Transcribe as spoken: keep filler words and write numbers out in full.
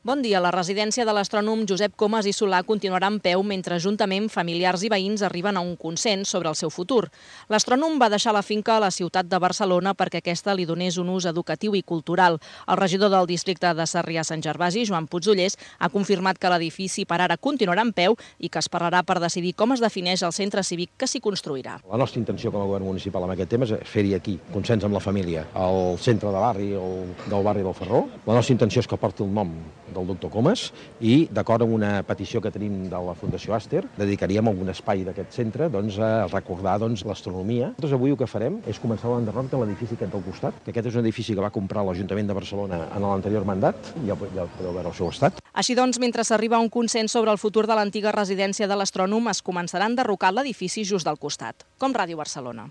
Bon dia. La residència de l'astrònom Josep Comas i Solà continuarà en peu mentre juntament familiars i veïns arriben a un consens sobre el seu futur. L'astrònom va deixar la finca a la ciutat de Barcelona perquè aquesta li donés un ús educatiu i cultural. El regidor del districte de Sarrià-Sant Gervasi, Joan Puigdollers, ha confirmat que l'edifici per ara continuarà en peu i que esperarà per decidir com es defineix el centre cívic que s'hi construirà. La nostra intenció com a govern municipal amb aquest tema és fer-hi aquí, consens amb la família, al centre de barri o del barri del Ferró. La nostra intenció és que porti el nom del doctor Comas i, d'acord amb una petició que tenim de la Fundació Aster, dedicaríem algun espai d'aquest centre doncs, a recordar doncs, l'astronomia. Nosaltres avui el que farem és començar l'enderroc de l'edifici aquest del costat, que aquest és un edifici que va comprar l'Ajuntament de Barcelona en l'anterior mandat, ja, ja podeu veure el seu estat. Així doncs, mentre s'arriba a un consens sobre el futur de l'antiga residència de l'astrònom, es començarà a enderrocar l'edifici just del costat, com Ràdio Barcelona.